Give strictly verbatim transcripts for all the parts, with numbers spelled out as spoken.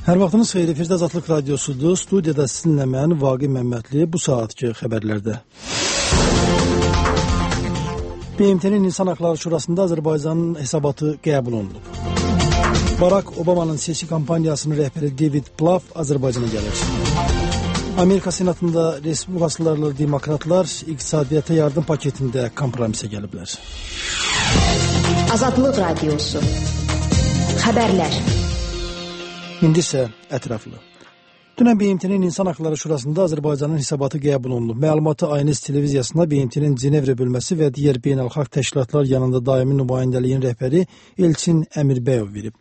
Hər vaxtınız xeyir, efirdə Azadlıq Radiosudur. Studiyada sizinlə mən, Vaqif Məmmədli, bu saatki xəbərlərdə. B M T-nin İnsan Haqları Şurasında Azərbaycanın hesabatı qəbul olunub. Barack Obama'nın seçki kampaniyasının rəhbəri David Plouffe Azərbaycana gəlir. Amerika Senatında Respublikaçılarla demokratlar iqtisadiyyata yardım paketində kompromisə gəliblər. Azadlıq Radiosu. Xəbərlər. İndi isə ətraflı. Dünən B M T-nin İnsan Haqları Şurasında Azərbaycanın hesabatı qəbul olunub. Məlumatı Aynes televiziyasına B M T-nin Cenevrə bölməsi və digər beynəlxalq təşkilatlar yanında daimi nümayəndəliyin rəhbəri Elçin Əmirbəyov verib.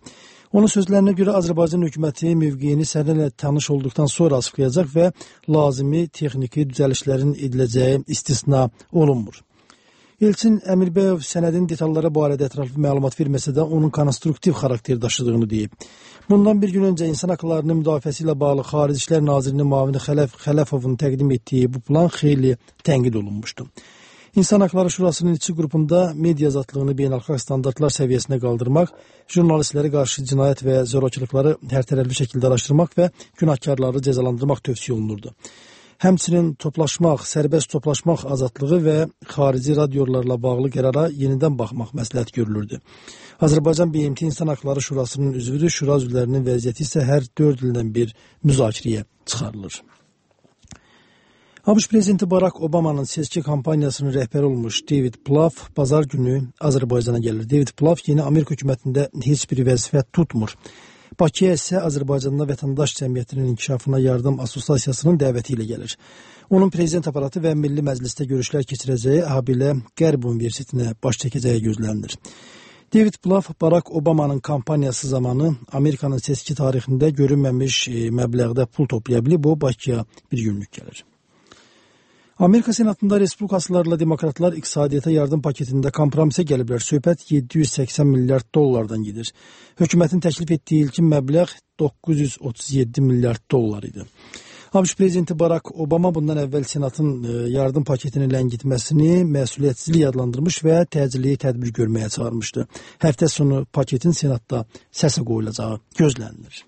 Onun sözlərinə görə Azərbaycan hökuməti mövqeyini sənədlə tanış olduqdan sonra açıqlayacaq və lazımi texniki düzəlişlərin ediləcəyi istisna olunmur. Elçin Əmirbəyov sənədin detalları barədə ətraflı məlumat verməsə də onun konstruktiv xarakter daşıdığını deyib. Bundan bir gün öncə insan haqlarının müdafiəsi ilə bağlı Xarici İşlər Nazirinin müavini Xələf Xələfovun təqdim etdiyi bu plan xeyli tənqid olunmuşdu. İnsan Haqları Şurasının içi qrupunda media azadlığını beynəlxalq standartlar səviyyəsinə qaldırmaq, jurnalistlərə qarşı cinayət və zorakılıqları hərtərəfli şəkildə araşdırmaq və günahkarları cəzalandırmaq tövsiyə olunurdu. Həmçinin toplaşmaq, sərbəst toplaşmaq azadlığı və xarici radiolarla bağlı qərara yenidən baxmaq məsləhət görülürdü. Azərbaycan B M T İnsan Haqları Şurasının üzvüdür, şura üzvlərinin vəziyyəti isə hər dörd ildən bir müzakirəyə çıxarılır. ABŞ prezidenti Barack Obama'nın seçki kampaniyasının rəhbəri olmuş David Plouffe bazar günü Azərbaycana gəlir. David Plouffe yeni Amerika hökumətində heç bir vəzifə tutmur. Bakıya isə Azərbaycanda vətəndaş cəmiyyətinin inkişafına yardım assosiasiyasının dəvəti ilə gəlir. Onun prezident aparatı və Milli Məclisdə görüşlər keçirəcəyi habelə Qərb Universitetinə baş çəkəcəyi gözlənilir. David Plouffe Barack Obama'nın kampaniyası zamanı Amerikanın seçki tarixində görünməmiş məbləğdə pul toplaya bilib, o Bakıya bir günlük gəlir. Amerika Senatında Respublikaçılarla demokratlar iqtisadiyyata yardım paketində kompromisə gəliblər. Söhbət yeddi yüz səksən milyard dollardan gedir. Hökumətin təklif etdiyi ilkin məbləğ doqquz yüz otuz yeddi milyard dollar idi. ABŞ prezidenti Barack Obama bundan əvvəl Senatın yardım paketini ləngitməsini məsuliyyətsizlik adlandırmış və təcili tədbir görməyə çağırmışdı. Həftə sonu paketin Senatda səsə qoyulacağı gözlənilir.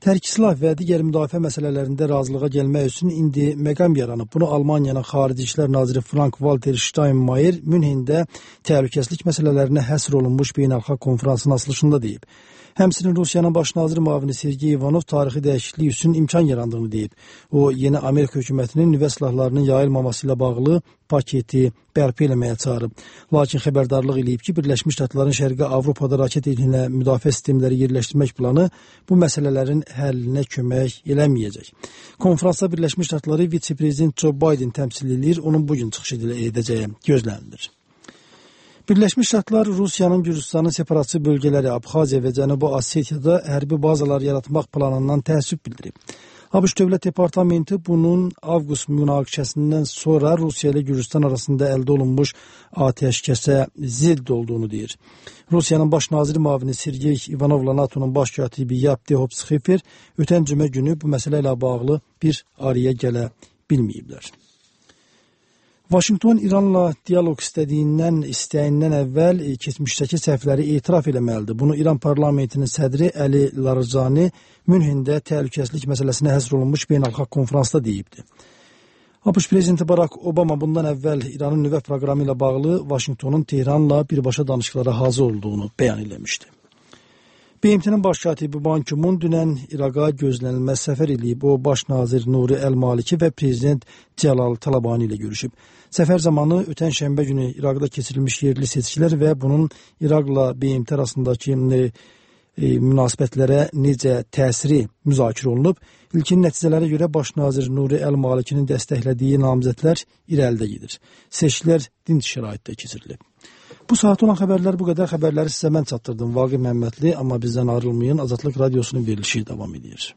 Tərk silah və digər müdafiə məsələlərində razılığa gəlmək üçün indi məqam yaranıb. Bunu Almaniyanın Xarici İşlər Naziri Frank-Walter Steinmeier Münhendə təhlükəsizlik məsələlərinə həsr olunmuş beynəlxalq konferansın açılışında deyib. Həmçinin Rusiyanın baş naziri müavini Sergey Ivanov tarixi dəyişiklik üçün imkan yarandığını deyib. O, yeni Amerika hökumətinin nüvə silahlarının yayılmaması ilə bağlı paketi bərpa eləməyə çağırıb. Lakin xəbərdarlıq eləyib ki, Birləşmiş Ştatların Şərqi Avropada raket elinə müdafiə sistemləri yerləşdirmək planı bu məsələlərin həllinə kömək eləməyəcək. Konferansda Birləşmiş Ştatları vitse-prezident Joe Biden təmsil edir, onun bugün çıxış edəcəyi gözlənilir. Birləşmiş Ştatlar Rusiyanın Gürcüstanın separatçı bölgələri Abxaziya və Cənubi Osetiyada hərbi bazalar yaratmaq planından təəssüf bildirib. ABŞ Dövlət Departamenti bunun avqust münaqişəsindən sonra Rusiya ilə Gürcüstan arasında əldə olunmuş atəşkəsə zidd olduğunu deyir. Rusiyanın baş naziri müavini Sergey Ivanovla NATO'nun baş katibi Yapti Hopsxifer ötən cümə günü bu məsələ ilə bağlı bir araya gələ bilməyiblər. Vaşinqton İranla dialoq istədiyindən, istəyindən əvvəl keçmişdəki səhvləri etiraf eləməlidir. Bunu İran parlamentinin sədri Əli Larijani Münhendə təhlükəsizlik məsələsinə həsr olunmuş beynəlxalq konferansda deyibdi. ABŞ prezidenti Barack Obama bundan əvvəl İranın nüvə proqramı ilə bağlı Vaşinqtonun Tehranla birbaşa danışıqlara hazır olduğunu bəyan eləmişdi. B M T-nin baş katibi Ban Ki-mun dünən İraqa gözlənilməz səfər eləyib. O, baş nazir Nuri Əl-Maliki və prezident Cəlal Talabani ilə görüşüb. Səfər zamanı ötən şənbə günü İraqda keçirilmiş yerli seçkilər və bunun İraqla B M T arasındakı e, münasibətlərə necə təsiri müzakirə olunub. İlkin nəticələrə görə baş nazir Nuri Əl-Malikinin dəstəklədiyi namizədlər irəlidə gedir. Seçkilər dinc şəraitdə keçirilib. Bu saat olan xəbərlər bu qədər. Xəbərləri sizə mən çatdırdım. Vaqif Məmmədli, amma bizdən ayrılmayın. Azadlıq Radiosunun verilişi davam edir.